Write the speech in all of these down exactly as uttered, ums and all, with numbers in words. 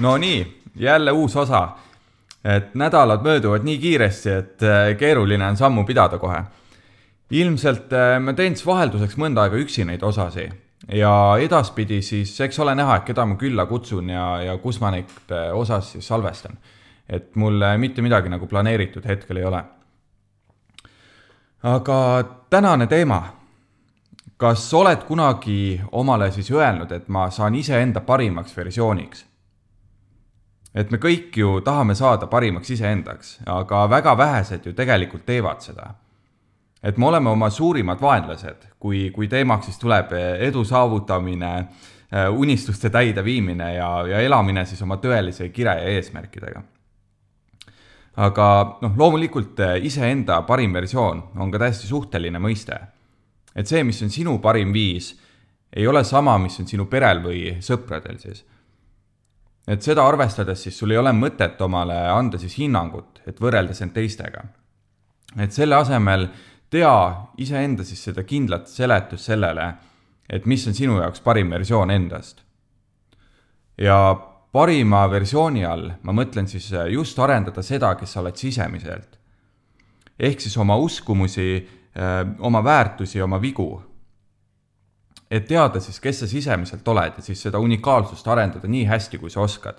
No nii, jälle uus osa. Et nädalad mööduvad nii kiiresti, et keeruline on sammu pidada kohe. Ilmselt ma teen siis vahelduseks mõnda aega üksi neid osasi. Ja edaspidi siis, eks ole näha, et keda ma külla kutsun ja, ja kus ma neid osas siis salvestan. Et mul mitte midagi nagu planeeritud hetkel ei ole. Aga tänane teema. Kas oled kunagi omale siis öelnud, et ma saan ise enda parimaks versiooniks? Et me kõik ju tahame saada parimaks iseendaks, aga väga vähesed ju tegelikult teevad seda. Et me oleme oma suurimad vaenlased, kui, kui teemaks siis tuleb edu saavutamine, unistuste täide viimine ja, ja elamine siis oma tõelise kire ja eesmärkidega. Aga noh, loomulikult iseenda parim versioon on ka täiesti suhteline mõiste. Et see, mis on sinu parim viis, ei ole sama, mis on sinu perel või sõpradel siis. Et seda arvestades siis sul ei ole mõtet omale anda siis hinnangut, et võrreldes end teistega. Et selle asemel tea iseenda siis seda kindlat seletus sellele, et mis on sinu jaoks parim versioon endast. Ja parima versiooni all ma mõtlen siis just arendada seda, kes sa oled sisemiselt. Ehk siis oma uskumusi, oma väärtusi, oma vigu. Et teada siis, kes sa sisemiselt oled ja siis seda unikaalsust arendada nii hästi, kui sa oskad.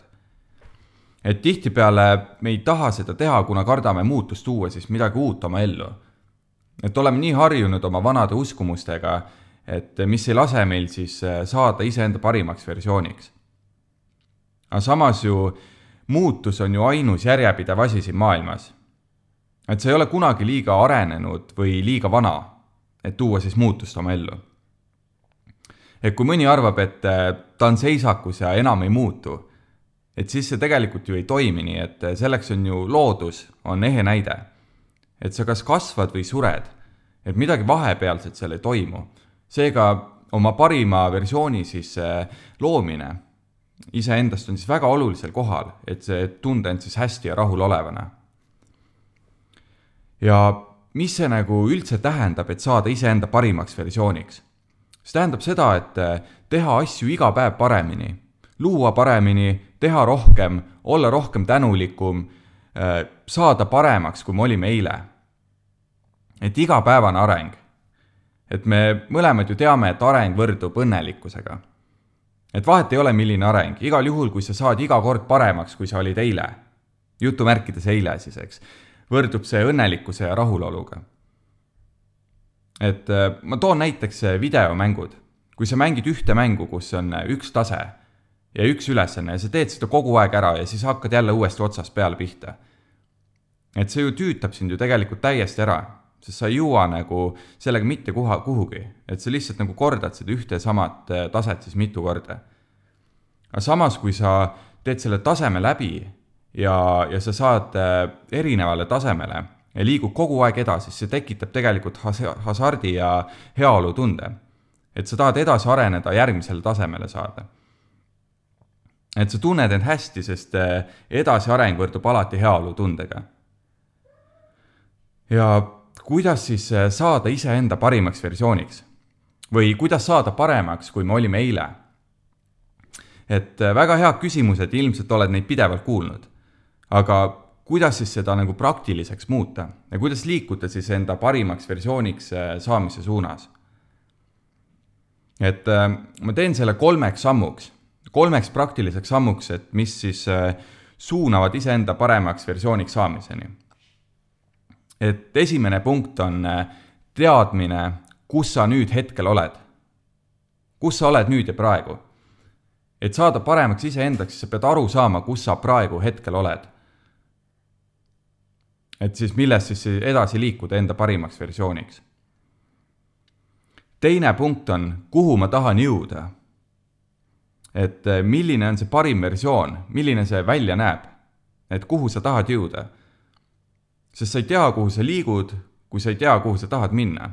Et tihtipeale me ei taha seda teha, kuna kardame muutust tuua siis midagi uut oma ellu. Et oleme nii harjunud oma vanade uskumustega, et mis ei lase meil siis saada iseenda parimaks versiooniks. Aga samas ju muutus on ju ainus järjepidev asi siin maailmas. Et see ei ole kunagi liiga arenenud või liiga vana, et tuua siis muutust oma ellu. Et kui mõni arvab, et ta on seisakus ja enam ei muutu, et siis see tegelikult ju ei toimi nii, et selleks on ju loodus, on ehe näide. Et sa kas kasvad või sured, et midagi vahepealset seal ei toimu. Seega oma parima versiooni siis loomine iseendast on siis väga olulisel kohal, et see tunde end siis hästi ja rahul olevana. Ja mis see nagu üldse tähendab, et saada iseenda parimaks versiooniks? See tähendab seda, et teha asju iga päev paremini, luua paremini, teha rohkem, olla rohkem tänulikum, saada paremaks, kui me olime eile. Et iga päevane areng. Et me mõlemad ju teame, et areng võrdub õnnelikkusega. Et vahet ei ole milline areng, igal juhul, kui sa saad iga kord paremaks, kui sa olid eile, jutu märkides eile siis, eks, võrdub see õnnelikkuse ja rahuloluga. Et ma toon näiteks videomängud. Kui sa mängid ühte mängu, kus on üks tase ja üks ülesanne ja sa teed seda kogu aeg ära ja siis hakkad jälle uuesti otsast peale pihta. Et see ju tüütab sind ju tegelikult täiesti ära, sest sa ei jõua nagu sellega mitte kuha, kuhugi. Et sa lihtsalt nagu kordad seda ühte samat taset siis mitu korda. Aga samas, kui sa teed selle taseme läbi ja, ja sa saad erinevale tasemele, ja liigub kogu aeg edasi, see tekitab tegelikult hasardi ja heaolu tunde. Et sa tahad edasi areneda järgmisele tasemele saada. Et sa tunned end hästi, sest edasi areng võrdub alati heaolu tundega. Ja kuidas siis saada iseenda parimaks versiooniks? Või kuidas saada paremaks, kui me olime eile? Et väga hea küsimus, et ilmselt oled neid pidevalt kuulnud. Aga kuidas siis seda nagu praktiliseks muuta ja kuidas liikuda siis enda parimaks versiooniks saamise suunas. Et ma teen selle kolmeks sammuks, kolmeks praktiliseks sammuks, et mis siis suunavad iseenda paremaks versiooniks saamiseni. Et esimene punkt on teadmine, kus sa nüüd hetkel oled. Kus sa oled nüüd ja praegu. Et saada paremaks iseendaks, sa pead aru saama, kus sa praegu hetkel oled. Et siis millest siis edasi liikuda enda parimaks versiooniks. Teine punkt on, kuhu ma tahan jõuda. Et milline on see parim versioon, milline see välja näeb, et kuhu sa tahad jõuda. Sest sa ei tea, kuhu sa liigud, kui sa ei tea, kuhu sa tahad minna.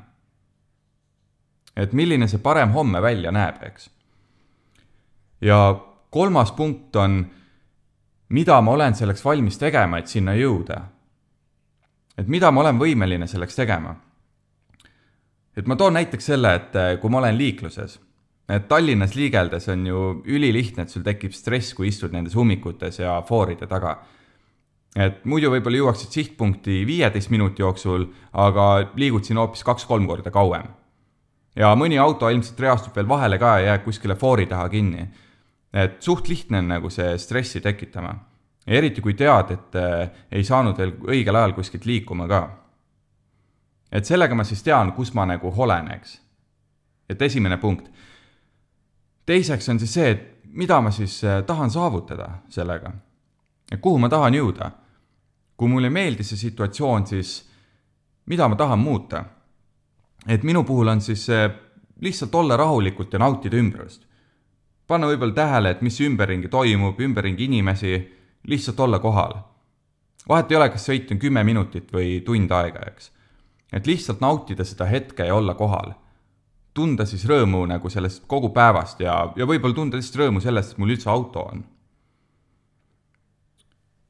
Et milline see parem homme välja näeb, eks. Ja kolmas punkt on, mida ma olen selleks valmis tegema, et sinna jõuda. Et mida ma olen võimeline selleks tegema. Et ma toon näiteks selle, et kui ma olen liikluses, et Tallinnas liigeldes on ju ülilihtne, et sul tekib stress, kui istud nendes ummikutes ja fooride taga. Et muidu võib-olla jõuaksid sihtpunkti viieteist minuti jooksul, aga liigud siin hoopis kaks-kolm korda kauem. Ja mõni auto ilmselt reastub veel vahele ka ja jääb kuskile foori taha kinni. Et suht lihtne on nagu see stressi tekitama. Ja eriti kui tead, et ei saanud veel õigel ajal kuskilt liikuma ka. Et sellega ma siis tean, kus ma nagu holen, eks. Et esimene punkt. Teiseks on siis see, et mida ma siis tahan saavutada sellega. Et kuhu ma tahan jõuda. Kui mulle ei meeldi see situatsioon, siis mida ma tahan muuta. Et minu puhul on siis lihtsalt olla rahulikult ja nautida ümbrust. Panna võib-olla tähele, et mis ümberringi toimub, ümberringi inimesi, lihtsalt olla kohal. Vahet ei ole, kas sõit on kümme minutit või tund aega, eks. Et lihtsalt nautida seda hetke ja olla kohal. Tunda siis rõõmu nagu sellest kogu päevast ja, ja võib-olla tunda lihtsalt rõõmu sellest, et mul üldse auto on.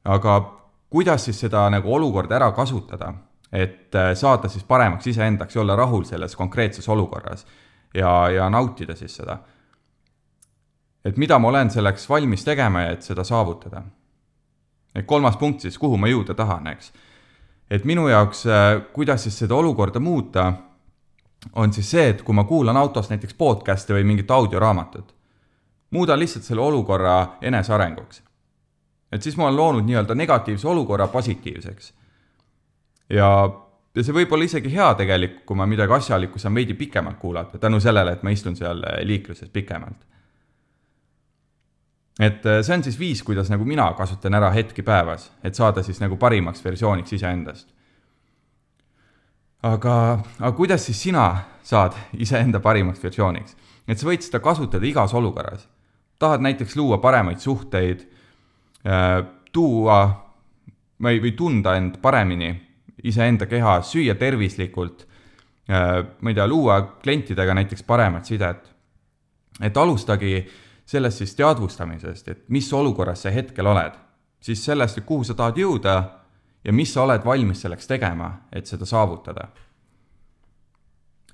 Aga kuidas siis seda nagu olukorda ära kasutada, et saada siis paremaks iseendaks ja olla rahul selles konkreetses olukorras ja, ja nautida siis seda. Et mida ma olen selleks valmis tegema ja et seda saavutada. Et kolmas punkt siis, kuhu ma jõuda tahan, eks. Et minu jaoks, kuidas siis seda olukorda muuta, on siis see, et kui ma kuulan autos näiteks podcasti või mingit audioraamatut, muudan lihtsalt selle olukorra enesearenguks. Et siis ma olen loonud nii-öelda negatiivse olukorra positiivseks. Ja, ja see võib olla isegi hea tegelikult, kui ma midagi asjalikku saan veidi pikemalt kuulata, tänu sellele, et ma istun seal liikluses pikemalt. Et see on siis viis, kuidas nagu mina kasutan ära hetki päevas, et saada siis nagu parimaks versiooniks iseendast. Aga, aga kuidas siis sina saad iseenda parimaks versiooniks? Et sa võid seda kasutada igas olukorras. Tahad näiteks luua paremaid suhteid, tuua või, või tunda end paremini iseenda keha, süüa tervislikult, ma ei tea, luua klientidega näiteks paremat sidet. Et alustagi sellest siis teadvustamisest, et mis olukorras sa hetkel oled, siis sellest, et kuhu sa tahad jõuda ja mis sa oled valmis selleks tegema, et seda saavutada.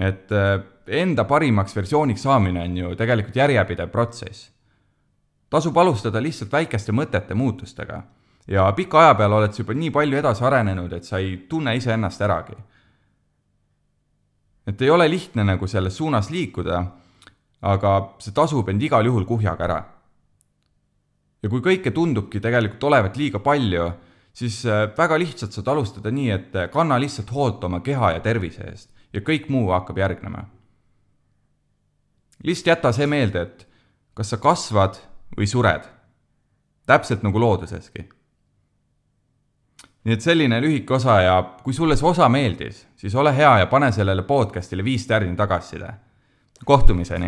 Et enda parimaks versiooniks saamine on ju tegelikult järjepidev protsess. Tasub alustada lihtsalt väikeste mõtete muutustega ja pika aja peal oled sa juba nii palju edasi arenenud, et sa ei tunne ise ennast äragi. Et ei ole lihtne nagu selles suunas liikuda, aga see tasub end igal juhul kuhjaga ära. Ja kui kõike tundubki tegelikult olevat liiga palju, siis väga lihtsalt saad alustada nii, et kanna lihtsalt hoolt oma keha ja tervise eest ja kõik muu hakkab järgnema. Lihtsalt jäta see meelde, et kas sa kasvad või sured. Täpselt nagu looduseski. Nii et selline lühike osa ja kui sulle see osa meeldis, siis ole hea ja pane sellele podcastile viis tärni tagasiside. Kohtumiseni!